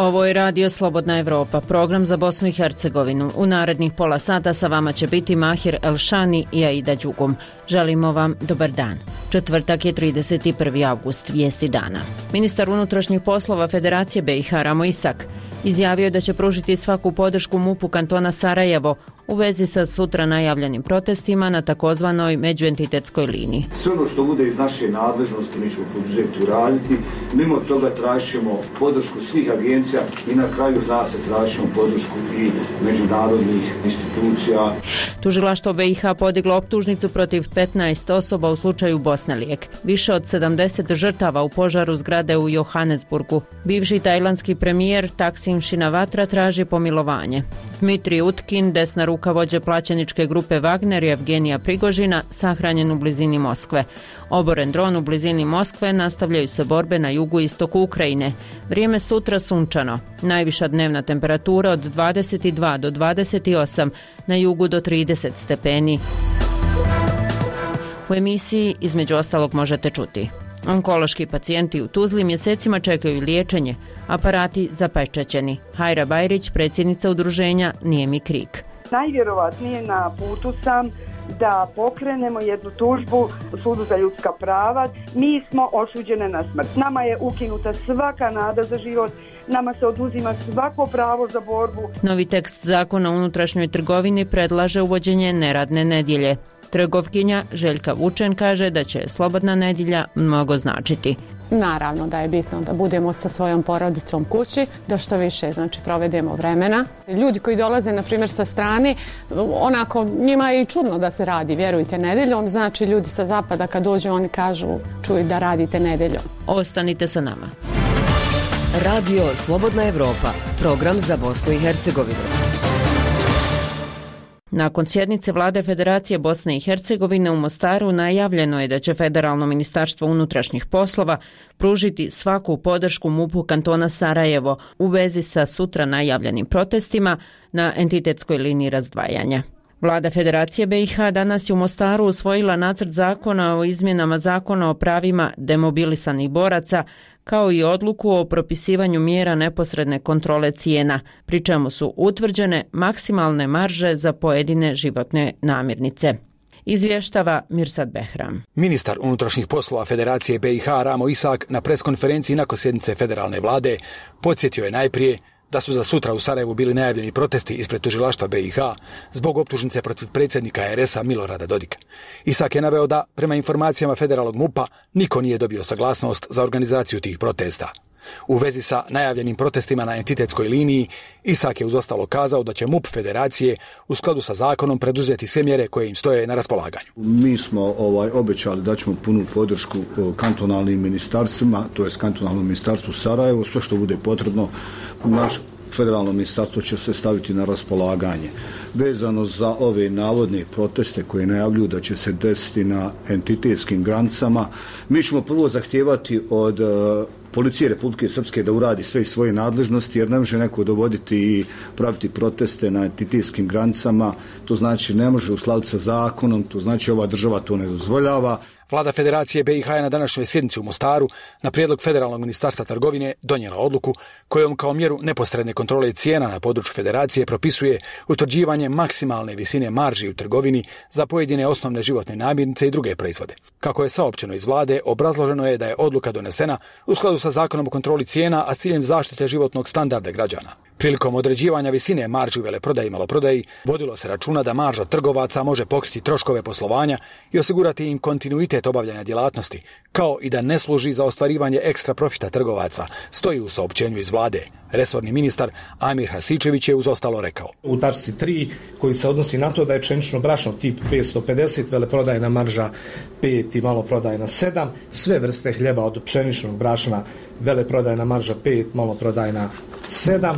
Ovo je Radio Slobodna Evropa, program za Bosnu i Hercegovinu. U narednih pola sata sa vama će biti Mahir Elšani i Aida Đugum. Želimo vam dobar dan. Četvrtak je 31. avgust, vijesti dana. Ministar unutrašnjih poslova Federacije BiH Ramo Isak izjavio je da će pružiti svaku podršku MUP-u kantona Sarajevo u vezi sa sutra najavljenim protestima na takozvanoj međuentitetskoj liniji. Sve ono što bude iz naše nadležnosti mi ćemo poduzeti uraditi. Mimo toga tražimo podršku svih agencija i na kraju zna se tražimo podršku i međunarodnih institucija. Tužilaštvo BiH podiglo optužnicu protiv 15 osoba u slučaju Bosnelijek. Više od 70 žrtava u požaru zgrade u Johannesburgu. Bivši tajlandski premijer Taksim Shinawatra traži pomilovanje. Dmitrij Utkin, desna ruka vođe plaćeničke grupe Wagner i Evgenija Prigožina, sahranjen u blizini Moskve. Oboren dron u blizini Moskve, nastavljaju se borbe na jugu i istoku Ukrajine. Vrijeme sutra sunčano. Najviša dnevna temperatura od 22 do 28, na jugu do 30 stepeni. U emisiji između ostalog možete čuti: onkološki pacijenti u Tuzli mjesecima čekaju liječenje, aparati zapečaćeni. Hajra Bajrić, predsjednica udruženja Nije mi krik. Najvjerovatnije na putu sam da pokrenemo jednu tužbu u Sudu za ljudska prava. Mi smo osuđene na smrt. Nama je ukinuta svaka nada za život. Nama se oduzima svako pravo za borbu. Novi tekst zakona o unutrašnjoj trgovini predlaže uvođenje neradne nedjelje. Trgovkinja Željka Vučen kaže da će slobodna nedjelja mnogo značiti. Naravno da je bitno da budemo sa svojom porodicom kući, da što više provedemo vremena. Ljudi koji dolaze na primjer sa strane, onako njima je i čudno da se radi, vjerujte, nedjeljom. Znači ljudi sa zapada kad dođu oni kažu čuj da radite nedjeljom. Ostanite sa nama. Radio Slobodna Evropa, program za Bosnu i Hercegovinu. Nakon sjednice Vlade Federacije Bosne i Hercegovine u Mostaru najavljeno je da će Federalno ministarstvo unutrašnjih poslova pružiti svaku podršku MUP-u kantona Sarajevo u vezi sa sutra najavljenim protestima na entitetskoj liniji razdvajanja. Vlada Federacije BiH danas je u Mostaru usvojila nacrt zakona o izmjenama zakona o pravima demobilisanih boraca, kao i odluku o propisivanju mjera neposredne kontrole cijena, pri čemu su utvrđene maksimalne marže za pojedine životne namirnice. Izvještava Mirsad Behram. Ministar unutrašnjih poslova Federacije BiH Ramo Isak na preskonferenciji nakon sjednice federalne vlade podsjetio je najprije da su za sutra u Sarajevu bili najavljeni protesti ispred tužilaštva BiH zbog optužnice protiv predsjednika RS-a Milorada Dodika. Isak je naveo da, prema informacijama federalnog MUP-a, niko nije dobio saglasnost za organizaciju tih protesta. U vezi sa najavljenim protestima na entitetskoj liniji, Isak je uz ostalo kazao da će MUP Federacije u skladu sa zakonom preduzeti sve mjere koje im stoje na raspolaganju. Mi smo obećali da ćemo punu podršku kantonalnim ministarstvima, to je kantonalnom ministarstvu Sarajevo, sve što bude potrebno. Naš federalno ministarstvo će se staviti na raspolaganje. Vezano za ove navodne proteste koje najavljuju da će se desiti na entitetskim granicama, mi ćemo prvo zahtijevati od Policije Republike Srpske da uradi sve iz svoje nadležnosti, jer ne može neko dovoditi i praviti proteste na entitetskim granicama. To znači ne može u skladu sa zakonom, to znači ova država to ne dozvoljava. Vlada Federacije BiH je na današnjoj sjednici u Mostaru na prijedlog Federalnog ministarstva trgovine donijela odluku kojom kao mjeru neposredne kontrole cijena na području Federacije propisuje utvrđivanje maksimalne visine marži u trgovini za pojedine osnovne životne namirnice i druge proizvode. Kako je saopćeno iz vlade, obrazloženo je da je odluka donesena u skladu sa zakonom o kontroli cijena, a s ciljem zaštite životnog standarda građana. Prilikom određivanja visine marži u veleprodaji i maloprodaji vodilo se računa da marža trgovaca može pokriti troškove poslovanja i osigurati im kontinuitet obavljanja djelatnosti, kao i da ne služi za ostvarivanje ekstra profita trgovaca, stoji u saopćenju iz vlade. Resorni ministar Amir Hasičević je uz ostalo rekao: u tačci 3 koji se odnosi na to da je pšenično brašno tip 550, veleprodajna marža 5 i maloprodajna 7, sve vrste hljeba od pšeničnog brašna, veleprodajna marža 5, maloprodajna 7,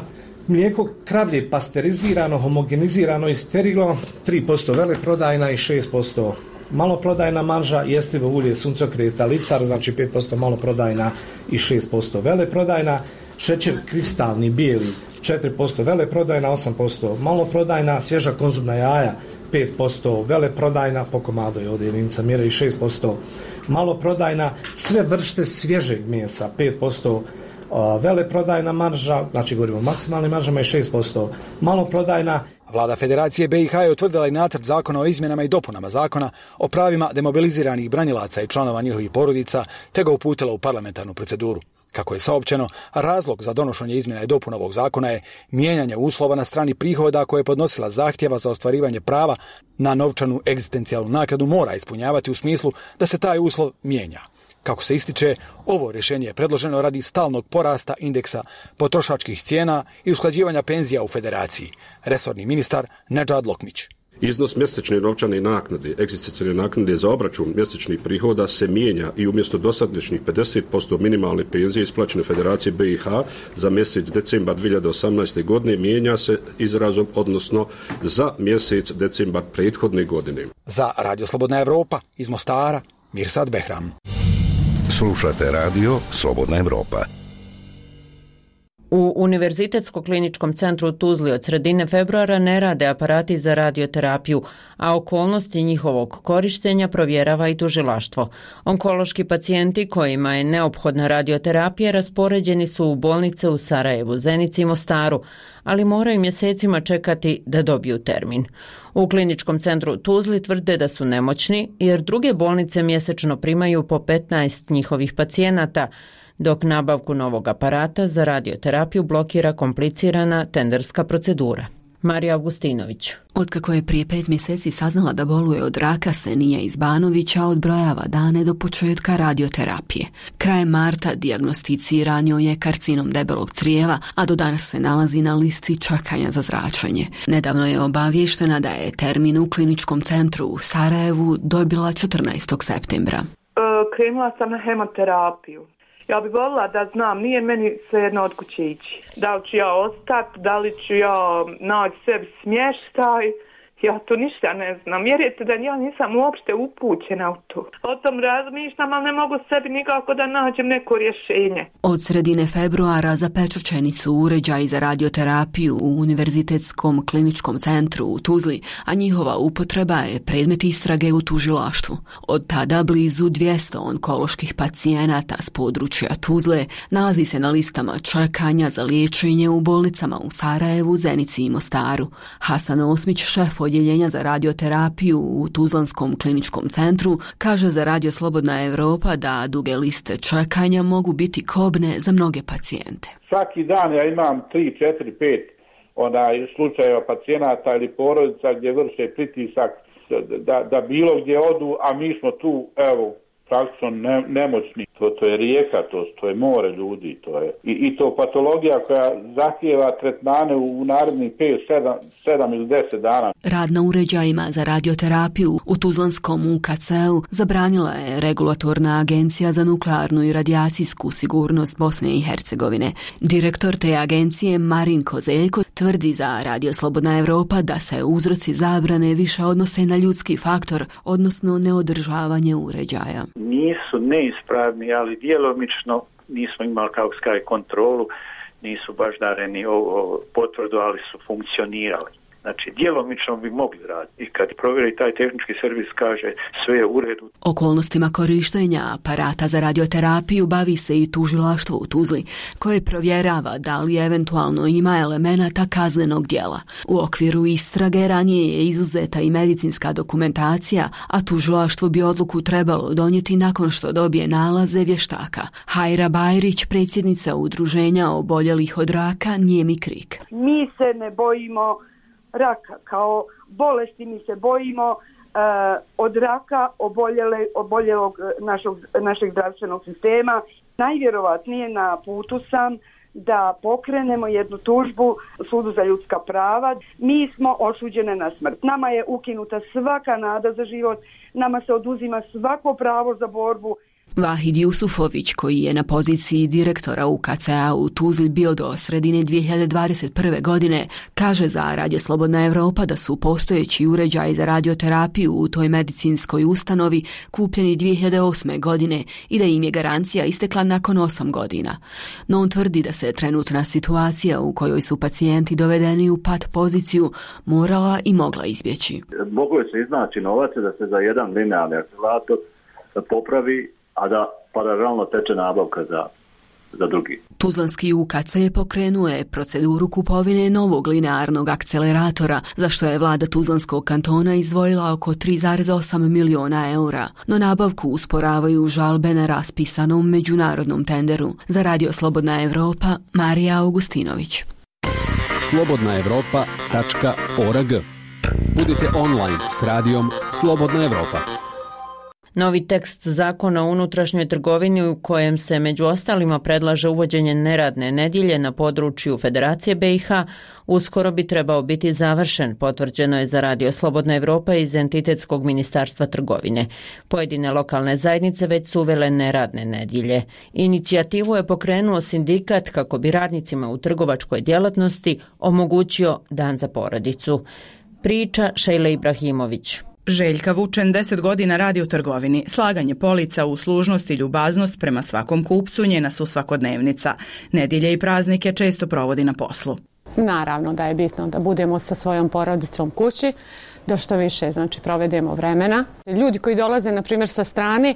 mlijeko kravlje pasterizirano, homogenizirano i sterilno 3% veleprodajna i 6% maloprodajna marža, jestivo ulje suncokreta litar, znači 5% maloprodajna i 6% veleprodajna, šećer kristalni bijeli 4% veleprodajna, 8% maloprodajna, svježa konzumna jaja 5% veleprodajna, po komadu je ovdje jedinica mjere, i 6% maloprodajna, sve vrste svježeg mesa 5% veleprodajna marža, znači govorimo o maksimalnim maržama, i 6% maloprodajna. Vlada Federacije BiH je utvrdila i nacrt zakona o izmjenama i dopunama zakona o pravima demobiliziranih branilaca i članova njihovih porodica, te ga uputila u parlamentarnu proceduru. Kako je saopćeno, razlog za donošenje izmjena i dopuna ovog zakona je mijenjanje uslova na strani prihoda koje je podnosila zahtjeva za ostvarivanje prava na novčanu egzistencijalnu naknadu mora ispunjavati u smislu da se taj uslov mijenja. Kako se ističe, ovo rješenje je predloženo radi stalnog porasta indeksa potrošačkih cijena i usklađivanja penzija u Federaciji. Resorni ministar Nedžad Lokmić. Iznos mjesečne novčane naknade, egzistencijalne naknade za obračun mjesečnih prihoda se mijenja i umjesto dosadašnjih 50% minimalne penzije isplaćene Federacije BiH za mjesec decembar 2018. godine mijenja se izrazom, odnosno za mjesec decembar prethodne godine. Za Radio Slobodna Evropa iz Mostara, Mirsad Behram. Slušate radio Slobodna Evropa. U Univerzitetsko-kliničkom centru u Tuzli od sredine februara ne rade aparati za radioterapiju, a okolnosti njihovog korištenja provjerava i tužilaštvo. Onkološki pacijenti kojima je neophodna radioterapija raspoređeni su u bolnice u Sarajevu, Zenici i Mostaru, ali moraju mjesecima čekati da dobiju termin. U kliničkom centru u Tuzli tvrde da su nemoćni jer druge bolnice mjesečno primaju po 15 njihovih pacijenata, dok nabavku novog aparata za radioterapiju blokira komplicirana tenderska procedura. Marija Augustinović. Otkako je prije 5 mjeseci saznala da boluje od raka, Senija iz Banovića odbrojava dane do početka radioterapije. Krajem marta dijagnosticiran joj je karcinom debelog crijeva, a do danas se nalazi na listi čekanja za zračenje. Nedavno je obavještena da je termin u kliničkom centru u Sarajevu dobila 14. septembra. Krenula sam na hemoterapiju. Ja bih volila da znam, nije meni svejedno od kuće ići. Da li ću ja ostati, da li ću ja naći sebi smještaj, ja to ništa ne znam. Vjerujete da ja nisam uopšte upućena u to. O tom razmišljam, ali ne mogu sebi nikako da nađem neko rješenje. Od sredine februara zapečaćeni su uređaji za radioterapiju u Univerzitetskom kliničkom centru u Tuzli, a njihova upotreba je predmet istrage u tužilaštvu. Od tada blizu 200 onkoloških pacijenata s područja Tuzle nalazi se na listama čekanja za liječenje u bolnicama u Sarajevu, Zenici i Mostaru. Hasan Osmić, šef odjeljenja za radioterapiju u Tuzlanskom kliničkom centru, kaže za Radio Slobodna Evropa da duge liste čekanja mogu biti kobne za mnoge pacijente. Svaki dan ja imam 3, 4, 5 slučajeva pacijenata ili porodica gdje vrše pritisak da bilo gdje odu, a mi smo tu, evo, praktično nemoćni. To je rijeka, to je more ljudi, to je i to patologija koja zahtijeva tretmane u narednih 5, 7 ili 10 dana. Rad na uređajima za radioterapiju u Tuzlanskom UKC-u zabranila je Regulatorna agencija za nuklearnu i radijacijsku sigurnost Bosne i Hercegovine. Direktor te agencije Marin Kozeljko tvrdi za Radio Slobodna Evropa da se uzroci zabrane više odnose na ljudski faktor, odnosno neodržavanje uređaja. Nisu neispravni, ali djelomično nismo imali kao kontrolu, nisu baždareni potvrdu, ali su funkcionirali. Znači, djelomično bi mogli raditi. I kad provjeri taj tehnički servis kaže sve je u redu. Okolnostima korištenja aparata za radioterapiju bavi se i tužilaštvo u Tuzli, koje provjerava da li eventualno ima elemenata kaznenog djela. U okviru istrage ranije je izuzeta i medicinska dokumentacija, a tužilaštvo bi odluku trebalo donijeti nakon što dobije nalaze vještaka. Hajra Bajrić, predsjednica udruženja oboljelih od raka Nijemi Krik. Mi se ne bojimo raka kao bolesti, mi se bojimo od raka oboljelog našeg zdravstvenog sistema. Najvjerovatnije na putu sam da pokrenemo jednu tužbu Sudu za ljudska prava. Mi smo osuđene na smrt. Nama je ukinuta svaka nada za život, nama se oduzima svako pravo za borbu. Vahid Jusufović, koji je na poziciji direktora UKC-a u Tuzli bio do sredine 2021. godine, kaže za Radio Slobodna Evropa da su postojeći uređaji za radioterapiju u toj medicinskoj ustanovi kupljeni 2008. godine i da im je garancija istekla nakon 8 godina. No on tvrdi da se trenutna situacija u kojoj su pacijenti dovedeni u pat poziciju morala i mogla izbjeći. Moglo je se iznaći novac da se za jedan linearni aktivator popravi, a da paralelno teče nabavka za drugi. Tuzlanski UKC pokrenuo je proceduru kupovine novog linearnog akceleratora, za što je vlada Tuzlanskog kantona izdvojila oko 3,8 miliona eura, no nabavku usporavaju žalbe na raspisanom međunarodnom tenderu. Za Radio Slobodna Evropa, Marija Augustinović. slobodnaevropa.org. Budite online s radijom Slobodna Evropa. Novi tekst zakona o unutrašnjoj trgovini u kojem se među ostalima predlaže uvođenje neradne nedjelje na području Federacije BiH uskoro bi trebao biti završen, potvrđeno je za Radio Slobodna Evropa iz Entitetskog ministarstva trgovine. Pojedine lokalne zajednice već su uvele neradne nedjelje. Inicijativu je pokrenuo sindikat kako bi radnicima u trgovačkoj djelatnosti omogućio dan za porodicu. Priča Šejla Ibrahimović. Željka Vučen 10 godina radi u trgovini. Slaganje polica, uslužnost i ljubaznost prema svakom kupcu njena su svakodnevnica. Nedjelje i praznike često provodi na poslu. Naravno da je bitno da budemo sa svojom porodicom kući, da što više provedemo vremena. Ljudi koji dolaze na primjer sa strane,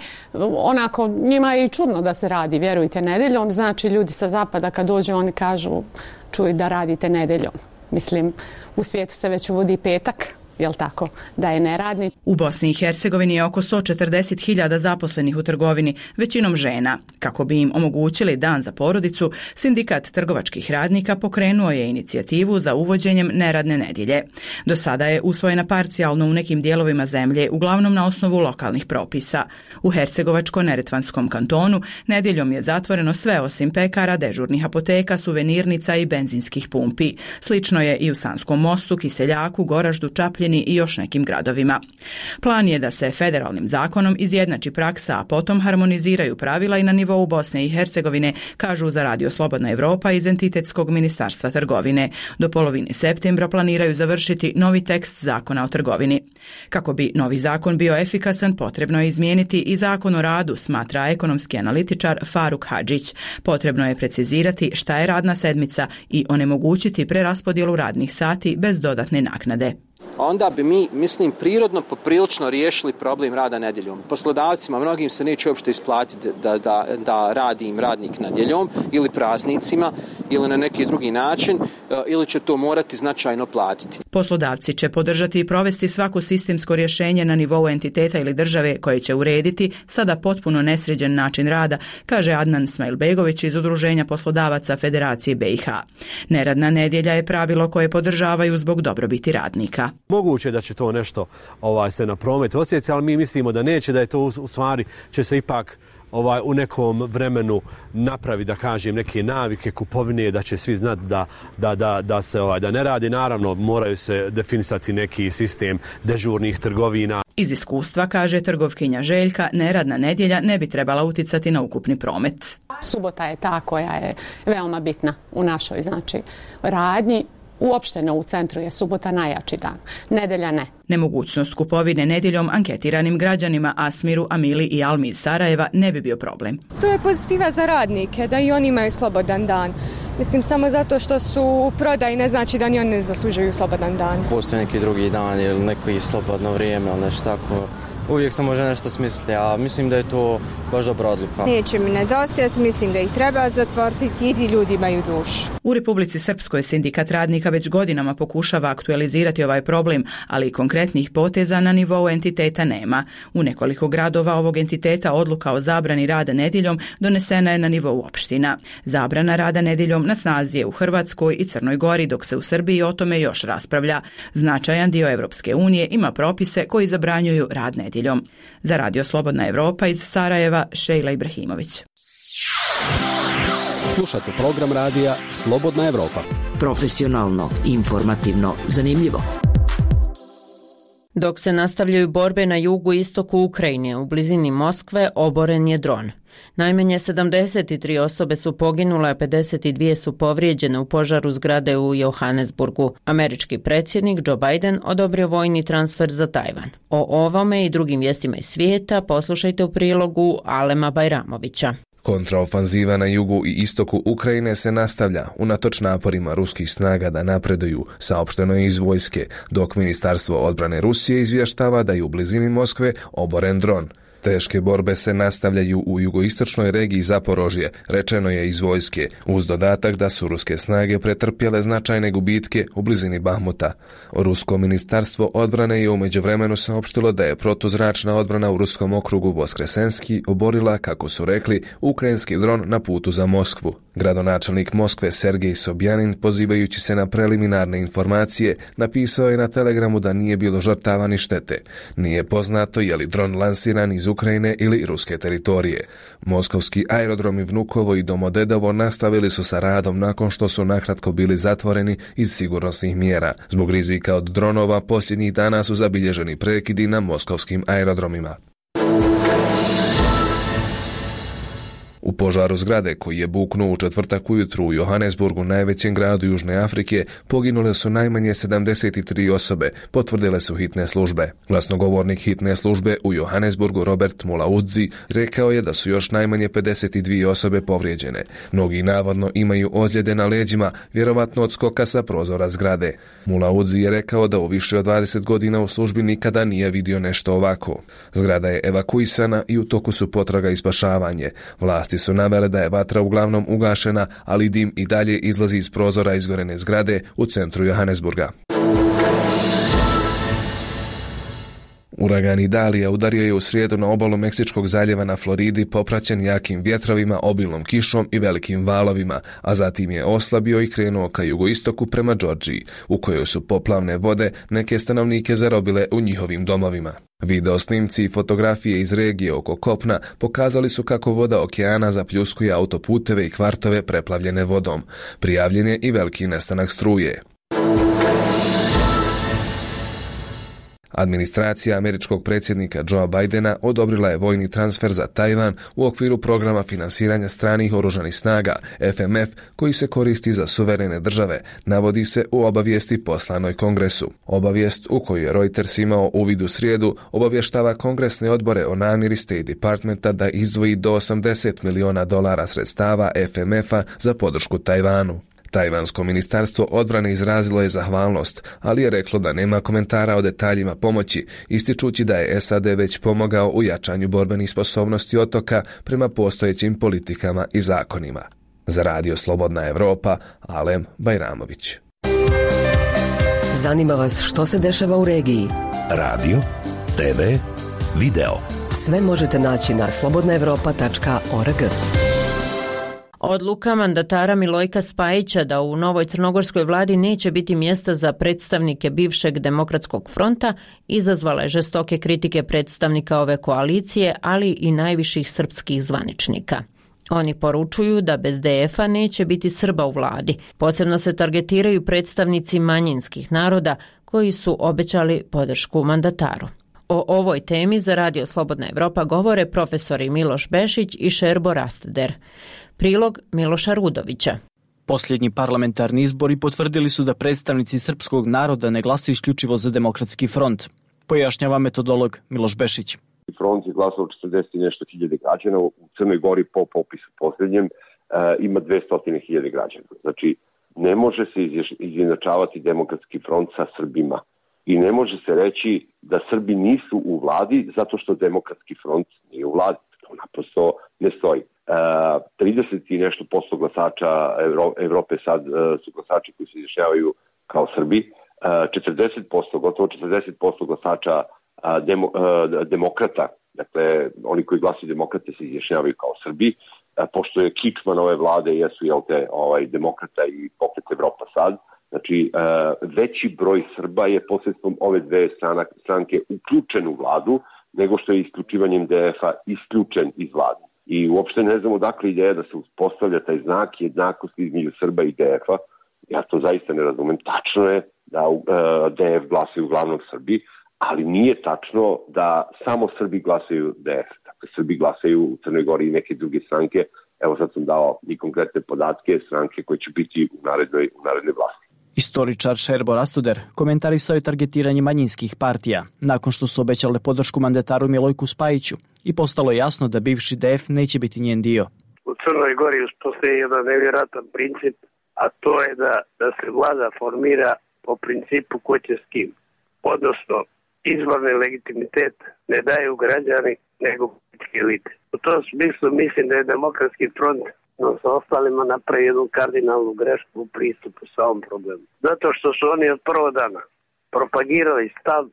onako njima je i čudno da se radi, vjerujte, nedjeljom. Znači ljudi sa zapada kad dođu oni kažu čuj da radite nedjeljom. Mislim, u svijetu se već uvodi petak. Jel tako, da je neradni. U Bosni i Hercegovini je oko 140.000 zaposlenih u trgovini, većinom žena. Kako bi im omogućili dan za porodicu, sindikat trgovačkih radnika pokrenuo je inicijativu za uvođenjem neradne nedjelje. Do sada je usvojena parcijalno u nekim dijelovima zemlje, uglavnom na osnovu lokalnih propisa. U Hercegovačko-neretvanskom kantonu nedjeljom je zatvoreno sve osim pekara, dežurnih apoteka, suvenirnica i benzinskih pumpi. Slično je i u Sanskom Mostu, Kiseljaku, Goraždu, Čapljini i još nekim gradovima. Plan je da se federalnim zakonom izjednači praksa, a potom harmoniziraju pravila i na nivou Bosne i Hercegovine, kažu za Radio Slobodna Evropa iz Entitetskog ministarstva trgovine. Do polovine septembra planiraju završiti novi tekst zakona o trgovini. Kako bi novi zakon bio efikasan, potrebno je izmijeniti i zakon o radu, smatra ekonomski analitičar Faruk Hadžić. Potrebno je precizirati šta je radna sedmica i onemogućiti preraspodjelu radnih sati bez dodatne naknade. Onda bi mi, mislim, prirodno poprilično riješili problem rada nedjeljom. Poslodavcima, mnogim se neće uopšte isplatiti da radi im radnik nedjeljom ili praznicima ili na neki drugi način ili će to morati značajno platiti. Poslodavci će podržati i provesti svako sistemsko rješenje na nivou entiteta ili države koje će urediti sada potpuno nesređen način rada, kaže Adnan Smajlbegović iz Udruženja poslodavaca Federacije BiH. Neradna nedjelja je pravilo koje podržavaju zbog dobrobiti radnika. Moguće da će to nešto se na promet osjetiti, ali mi mislimo da neće, da je to u stvari će se ipak u nekom vremenu napravi, da kažem, neke navike kupovine, da će svi znati da se da ne radi. Naravno, moraju se definisati neki sistem dežurnih trgovina. Iz iskustva, kaže trgovkinja Željka, neradna nedjelja ne bi trebala uticati na ukupni promet. Subota je ta koja je veoma bitna u našoj radnji. Uopšteno u centru je subota najjači dan, nedelja ne. Nemogućnost kupovine nedjeljom anketiranim građanima Asmiru, Amili i Almi iz Sarajeva ne bi bio problem. To je pozitiva za radnike, da i oni imaju slobodan dan. Mislim, samo zato što su u prodaji ne znači da ni oni ne zaslužuju slobodan dan. Postoji neki drugi dan ili neko slobodno vrijeme ili nešto tako. Uvijek se može nešto smisliti, a mislim da je to baš dobra odluka. Neće mi nedosjetiti, mislim da ih treba zatvoriti i ljudi imaju dušu. U Republici Srpskoj sindikat radnika već godinama pokušava aktualizirati ovaj problem, ali konkretnih poteza na nivou entiteta nema. U nekoliko gradova ovog entiteta odluka o zabrani rada nedjeljom donesena je na nivou opština. Zabrana rada nedjeljom na snazi je u Hrvatskoj i Crnoj Gori, dok se u Srbiji o tome još raspravlja. Značajan dio Europske unije ima propise koji zabranjuju rad nedjeljom. Za Radio Slobodna Evropa iz Sarajeva, Šejla Ibrahimović. Slušate program radija Slobodna Evropa. Profesionalno, informativno, zanimljivo. Dok se nastavljaju borbe na jugu i istoku Ukrajine, u blizini Moskve oboren je dron. Najmanje 73 osobe su poginule, a 52 su povrijeđene u požaru zgrade u Johannesburgu. Američki predsjednik Joe Biden odobrio vojni transfer za Tajvan. O ovome i drugim vijestima iz svijeta poslušajte u prilogu Alema Bajramovića. Kontraofanziva na jugu i istoku Ukrajine se nastavlja unatoč naporima ruskih snaga da napreduju, saopšteno je iz vojske, dok Ministarstvo odbrane Rusije izvještava da je u blizini Moskve oboren dron. Teške borbe se nastavljaju u jugoistočnoj regiji Zaporožje, rečeno je iz vojske, uz dodatak da su ruske snage pretrpjele značajne gubitke u blizini Bahmuta. Rusko ministarstvo odbrane je u međuvremenu saopštilo da je protuzračna odbrana u ruskom okrugu Voskresenski oborila, kako su rekli, ukrajinski dron na putu za Moskvu. Gradonačelnik Moskve Sergej Sobjanin, pozivajući se na preliminarne informacije, napisao je na Telegramu da nije bilo žrtava ni štete. Nije poznato je li dron lansiran iz Ukrajine ili ruske teritorije. Moskovski aerodromi Vnukovo i Domodedovo nastavili su sa radom nakon što su nakratko bili zatvoreni iz sigurnosnih mjera. Zbog rizika od dronova posljednjih dana su zabilježeni prekidi na moskovskim aerodromima. U požaru zgrade koji je buknuo u četvrtak ujutru u Johannesburgu, najvećem gradu Južne Afrike, poginule su najmanje 73 osobe, potvrdile su hitne službe. Glasnogovornik hitne službe u Johannesburgu Robert Mulaudzi rekao je da su još najmanje 52 osobe povrijeđene. Mnogi navodno imaju ozljede na leđima, vjerovatno od skoka sa prozora zgrade. Mulaudzi je rekao da u više od 20 godina u službi nikada nije vidio nešto ovako. Zgrada je evakuisana i u toku su potraga i spašavanje. Vlasti su navele da je vatra uglavnom ugašena, ali dim i dalje izlazi iz prozora izgorene zgrade u centru Johannesburga. Uragan Idalija udario je u srijedu na obalu Meksičkog zaljeva na Floridi, popraćen jakim vjetrovima, obilnom kišom i velikim valovima, a zatim je oslabio i krenuo ka jugoistoku prema Džordžiji, u kojoj su poplavne vode neke stanovnike zarobile u njihovim domovima. Video snimci i fotografije iz regije oko kopna pokazali su kako voda okeana zapljuskuje autoputeve i kvartove preplavljene vodom. Prijavljen je i veliki nestanak struje. Administracija američkog predsjednika Joea Bidena odobrila je vojni transfer za Tajvan u okviru programa finansiranja stranih oružanih snaga FMF koji se koristi za suverene države, navodi se u obavijesti poslanoj Kongresu. Obavijest u koju je Reuters imao uvid u srijedu obavještava kongresne odbore o namjeri State Departmenta da izdvoji do $80 miliona sredstava FMF-a za podršku Tajvanu. Tajvansko ministarstvo odbrane izrazilo je zahvalnost, ali je reklo da nema komentara o detaljima pomoći, ističući da je SAD već pomogao u jačanju borbenih sposobnosti otoka prema postojećim politikama i zakonima. Za Radio Slobodna Evropa, Alem Bajramović. Zanima vas što se dešava u regiji? Radio, TV, video. Sve možete naći na slobodnaevropa.org. Odluka mandatara Milojka Spajića da u novoj crnogorskoj vladi neće biti mjesta za predstavnike bivšeg Demokratskog fronta izazvala je žestoke kritike predstavnika ove koalicije, ali i najviših srpskih zvaničnika. Oni poručuju da bez DF-a neće biti Srba u vladi. Posebno se targetiraju predstavnici manjinskih naroda koji su obećali podršku mandataru. O ovoj temi za Radio Slobodna Evropa govore profesori Miloš Bešić i Šerbo Rastader. Prilog Miloša Rudovića. Posljednji parlamentarni izbori potvrdili su da predstavnici srpskog naroda ne glasuju isključivo za Demokratski front. Pojašnjava metodolog Miloš Bešić. Front je glasao 40 i nešto hiljade građana, u Crnoj Gori po popisu posljednjem ima 200.000 građana. Znači, ne može se izjednačavati Demokratski front sa Srbima. I ne može se reći da Srbi nisu u vladi zato što Demokratski front nije u vladi. To naprosto ne stoji. 30 i nešto posto glasača Evrope sad su glasači koji se izjašnjavaju kao Srbi. 40%, gotovo 40% glasača demokrata, dakle oni koji glasuju demokrate se izjašnjavaju kao Srbi. Pošto je kičman ove vlade, jesu demokrata i Pokret Evropa sad. Znači, veći broj Srba je posredstvom ove dve stranke uključen u vladu, nego što je isključivanjem DF-a isključen iz vlade. I uopšte ne znam odakle ideja da se uspostavlja taj znak jednakosti između Srba i DF-a. Ja to zaista ne razumem. Tačno je da DF glasaju uglavnom Srbi, ali nije tačno da samo Srbi glasaju DF. Dakle, Srbi glasaju u Crnoj Gori i neke druge stranke. Evo sad sam dao i konkretne podatke stranke koje će biti u narednoj vlasti. Istoričar Šerbo Rastader komentarisao je targetiranje manjinskih partija nakon što su obećale podršku mandataru Milojku Spajiću i postalo je jasno da bivši DF neće biti njen dio. U Crnoj Gori postoji jedan nevjerojatan princip, a to je da se vlada formira po principu ko će s kim. Odnosno, izborni legitimitet ne daju građani nego političke elite. U tom smislu mislim da je Demokratski front sa ostalima napravi jednu kardinalnu grešku u pristupu sa ovom problemu. Zato što su oni od prvog dana propagirali stav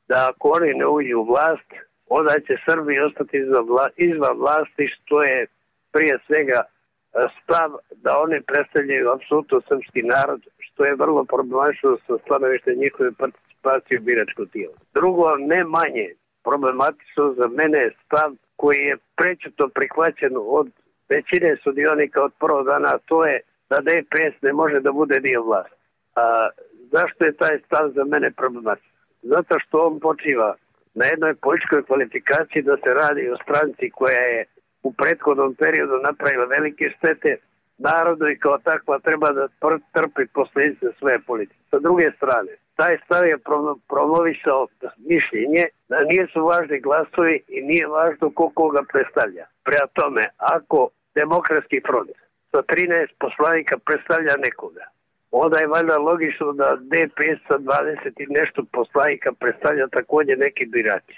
da ako oni ne uđu u vlast, onda će Srbi ostati izvan vlasti, što je prije svega stav da oni predstavljaju apsolutno srpski narod, što je vrlo problematično sa stanovište njihove participacije u biračko tijelo. Drugo, ne manje problematično za mene je stav koji je prečeto prihvaćen od većine sudionika od prvog dana, a to je da DPS ne može da bude dio vlasti. Zašto je taj stav za mene problematičan? Zato što on počiva na jednoj političkoj kvalifikaciji da se radi o stranci koja je u prethodnom periodu napravila velike štete narodu i kao takva treba da trpi posljedice svoje politike. Sa druge strane, taj stav je promovisao mišljenje da nisu važni glasovi i nije važno ko koga predstavlja. Prema tome, ako Demokratski front sa 13 poslanika predstavlja nekoga, onda je valjda logično da DPS sa 20 i nešto poslanika predstavlja također neki birači.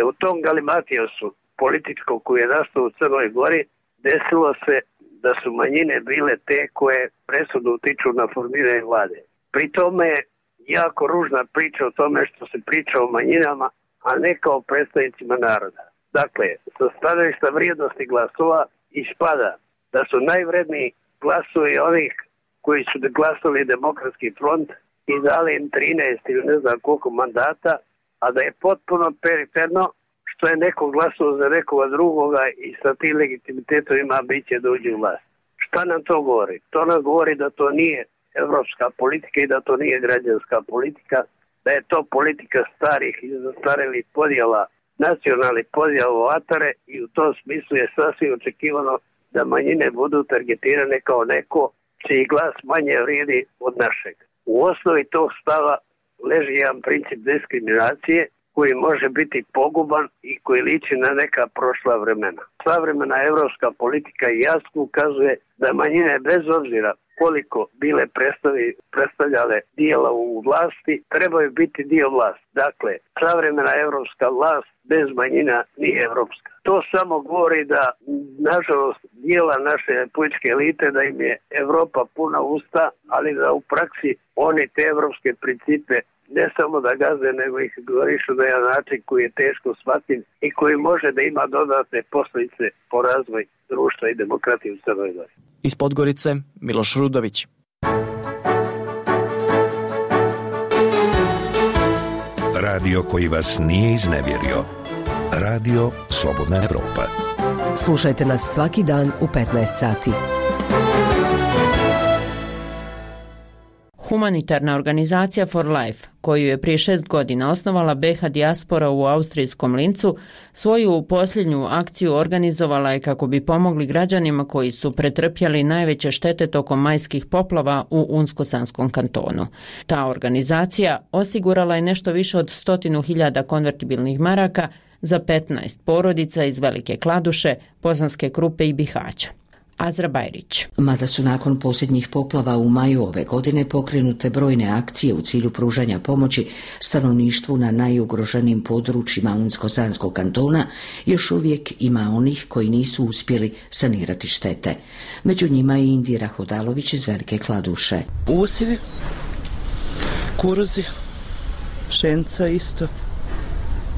U tom galimatijosu političkom koji je nastao u Crnoj Gori desilo se da su manjine bile te koje presudno utiču na formiranje vlade. Pri tome je jako ružna priča o tome što se priča o manjinama, a ne kao predstavnicima naroda. Dakle, sa stanovišta vrijednosti glasova ispada da su najvredniji glasovi onih koji su glasali Demokratski front i dali im 13 ili ne znam koliko mandata, a da je potpuno periferno što je neko glasao za nekoga drugoga i sa tim legitimitetom ima ambicije da uđe u vlast. Šta nam to govori? To nam govori da to nije evropska politika i da to nije građanska politika, da je to politika starih i zastarelih podjela, nacionalnih podjela u atare i u tom smislu je sasvim očekivano da manjine budu targetirane kao neko čiji glas manje vrijedi od našeg. U osnovi tog stava leži jedan princip diskriminacije koji može biti poguban i koji liči na neka prošla vremena. Savremena evropska politika jasno ukazuje da manjine bez obzira koliko bile predstavljale dijela u vlasti, trebaju biti dio vlasti. Dakle, savremena evropska vlast bez manjina nije evropska. To samo govori da, nažalost, dijela naše političke elite da im je Evropa puna usta, ali da u praksi oni te evropske principe ne samo da gaze, nego ih govorišu na jedan način koji je teško shvatljiv i koji može da ima dodatne posljedice po razvoj društva i demokratije u Crnoj Gori. Iz Podgorice, Miloš Rudović. Radio koji vas nije iznevjerio. Radio Slobodna Evropa. Slušajte nas svaki dan u 15 sati. Humanitarna organizacija For Life, koju je prije 6 godina osnovala BH dijaspora u austrijskom Lincu, svoju posljednju akciju organizovala je kako bi pomogli građanima koji su pretrpjeli najveće štete tokom majskih poplava u Unsko-Sanskom kantonu. Ta organizacija osigurala je nešto više od 100.000 konvertibilnih maraka za 15 porodica iz Velike Kladuše, Bosanske Krupe i Bihaća. Azra Bajrić. Mada su nakon posljednjih poplava u maju ove godine pokrenute brojne akcije u cilju pružanja pomoći stanovništvu na najugroženijim područjima Unsko-Sanskog kantona, još uvijek ima onih koji nisu uspjeli sanirati štete. Među njima je Indira Hodalović iz Velike Kladuše. Usjevi, kuruzi, pšenica isto.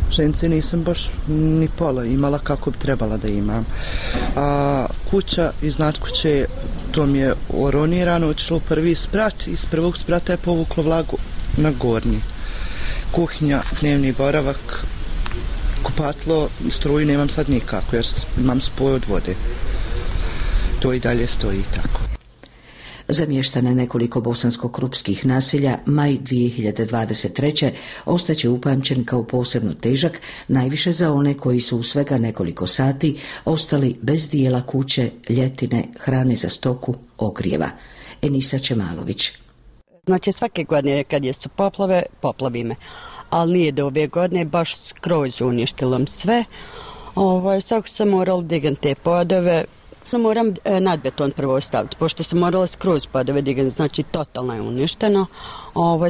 Pšenice nisam baš ni pola imala kako bi trebala da imam. A kuća iznad kuće, to mi je oronirano, otišlo u prvi sprat i iz prvog sprata je povuklo vlagu na gornji. Kuhinja, dnevni boravak, kupatlo, struju nemam sad nikako jer imam spoj od vode. To i dalje stoji tako. Zamještane nekoliko bosansko-krupskih naselja, maj 2023. ostaće upamćen kao posebno težak, najviše za one koji su u svega nekoliko sati ostali bez dijela kuće, ljetine, hrane za stoku, ogrijeva. Enisa Čemalović. Znači svake godine kad je su poplave, poplavi me. Ali nije do ove godine baš skroz uništilo sve. Svako sam morala digati te podove, Moram nadbeton prvo staviti, pošto sam morala skroz pa da vidim, znači totalno je uništeno.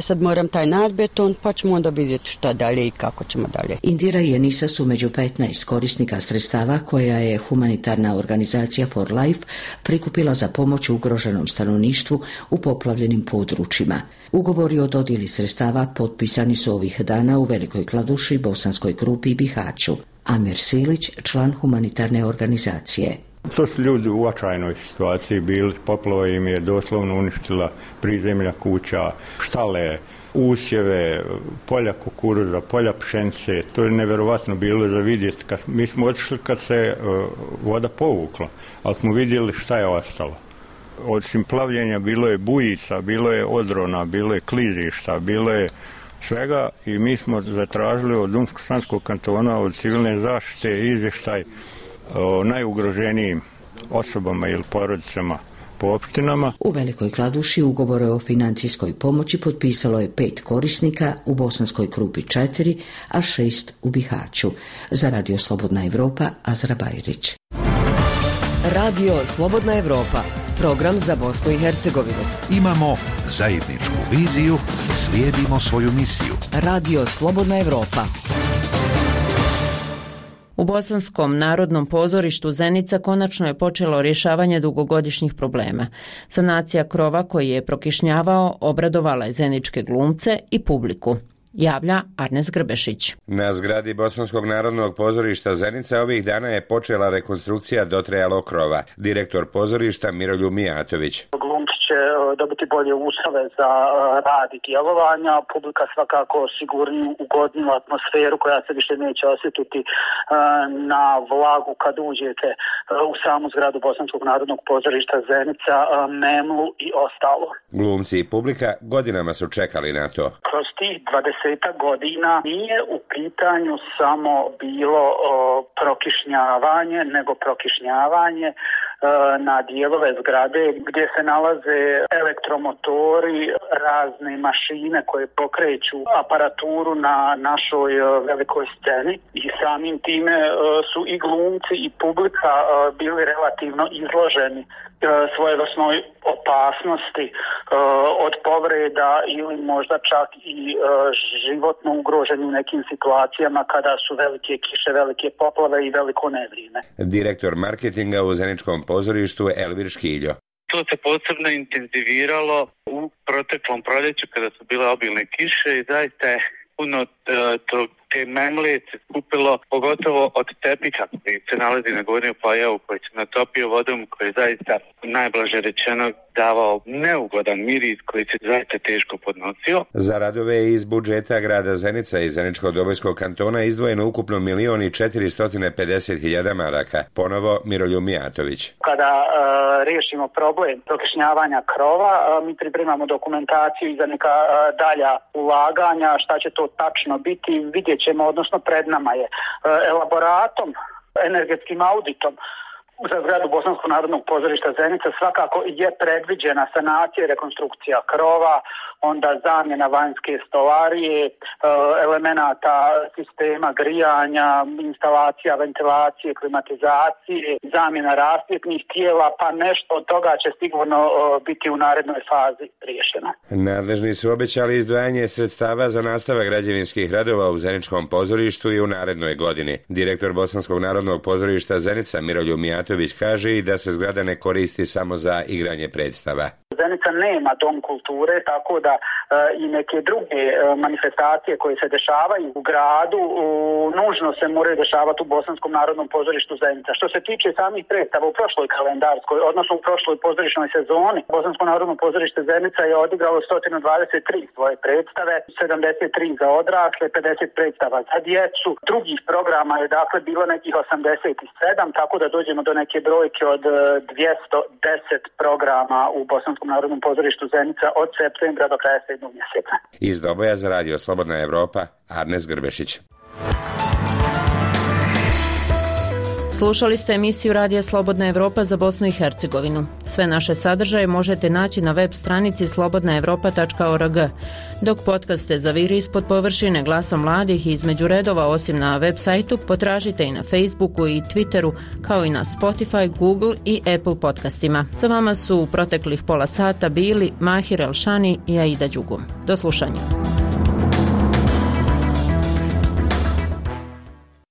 Sad moram taj nadbeton, pa ćemo onda vidjeti šta dalje i kako ćemo dalje. Indira i Enisa su među 15 korisnika sredstava koja je humanitarna organizacija For Life prikupila za pomoć ugroženom stanovništvu u poplavljenim područjima. Ugovori o dodjeli sredstava potpisani su ovih dana u Velikoj Kladuši, Bosanskoj Krupi i Bihaću. Amer Silić, član humanitarne organizacije. To su ljudi u očajnoj situaciji bili, poplava im je doslovno uništila prizemlja kuća, štale, usjeve, polja kukuruza, polja pšenice. To je nevjerovatno bilo za vidjeti. Mi smo otišli kad se voda povukla, ali smo vidjeli šta je ostalo. Osim plavljenja bilo je bujica, bilo je odrona, bilo je klizišta, bilo je svega i mi smo zatražili od Unsko-Sanskog kantona, od civilne zaštite izvještaj o najugroženijim osobama ili porodicama po opštinama. U Velikoj Kladuši ugovore o financijskoj pomoći potpisalo je 5 korisnika, u Bosanskoj Krupi 4, a 6 u Bihaću. Za Radio Slobodna Evropa, Azra Bajrić. Radio Slobodna Evropa, program za Bosnu i Hercegovinu. Imamo zajedničku viziju, slijedimo svoju misiju. Radio Slobodna Evropa. U Bosanskom narodnom pozorištu Zenica konačno je počelo rješavanje dugogodišnjih problema. Sanacija krova koji je prokišnjavao obradovala je zeničke glumce i publiku. Javlja Arnes Grbešić. Na zgradi Bosanskog narodnog pozorišta Zenica ovih dana je počela rekonstrukcija dotrajalog krova. Direktor pozorišta Miroljub Mijatović. Glumci će dobiti bolje uslove za rad i djelovanja, publika svakako sigurniju, ugodniju atmosferu koja se više neće osjetiti na vlagu kad uđete u samu zgradu Bosanskog narodnog pozorišta Zenica, memlu i ostalo. Glumci i publika godinama su čekali na to. Kroz tih 20 godina nije u pitanju samo bilo prokišnjavanje, nego prokišnjavanje na dijelove zgrade gdje se nalaze elektromotori, razne mašine koje pokreću aparaturu na našoj velikoj sceni i samim time su i glumci i publika bili relativno izloženi svojevrsnoj opasnosti od povreda ili možda čak i životno ugroženi u nekim situacijama kada su velike kiše, velike poplave i veliko nevrijeme. Direktor marketinga u Zeničkom pozorištu Elvir Škiljo. To se posebno intenziviralo u proteklom proljeću kada su bile obilne kiše i zaista je puno te memle se skupilo, pogotovo od tepiha koji se nalazi na Gornjem Pajavu, koji se natopio vodom, koji je zaista najblaže rečeno davao neugodan miris koji se zaista teško podnosio. Za radove iz budžeta grada Zenica i Zeničko-Dobojskog kantona izdvojeno ukupno 1.450.000 maraka. Ponovo Miroljub Mijatović. Kada riješimo problem prokišnjavanja krova, mi pripremamo dokumentaciju za neka dalja ulaganja, šta će to tačno biti, vidjet ćemo, odnosno pred nama je elaboratom, energetskim auditom za zgradu Bosanskog narodnog pozorišta Zenica svakako je predviđena sanacija i rekonstrukcija krova, onda zamjena vanjske stolarije, elemenata sistema grijanja, instalacija ventilacije, klimatizacije, zamjena rasvjetnih tijela, pa nešto od toga će sigurno biti u narednoj fazi riješeno. Nadležni su obećali izdvajanje sredstava za nastavak građevinskih radova u Zeničkom pozorištu i u narednoj godini. Direktor Bosanskog narodnog pozorišta Zenica Miroljub Mijatović kaže i da se zgrada ne koristi samo za igranje predstava. Zenica nema dom kulture, tako da i neke druge manifestacije koje se dešavaju u gradu nužno se moraju dešavati u Bosanskom narodnom pozorištu Zenica. Što se tiče samih predstava u prošloj kalendarskoj, odnosno u prošloj pozorišnoj sezoni, Bosansko narodno pozorište Zenica je odigralo 123 svoje predstave, 73 za odrasle, 50 predstava za djecu. Drugih programa je dakle bilo nekih 87, tako da dođemo do neke brojke od 210 programa u Bosanskom narodnom pozorištu Zenica od septembra do kraja 7. mjeseca. Iz Doboja za Radio Slobodna Evropa, Arnes Grbešić. Slušali ste emisiju Radija Slobodna Evropa za Bosnu i Hercegovinu. Sve Sve naše sadržaje možete naći na web stranici slobodnaevropa.org. Dok podcaste Zaviri ispod površine glasom mladih i između redova, osim na web sajtu, potražite i na Facebooku i Twitteru, kao i na Spotify, Google i Apple podcastima. Za vama su u proteklih pola sata bili Mahir Elšani i Aida Đugum. Do slušanja.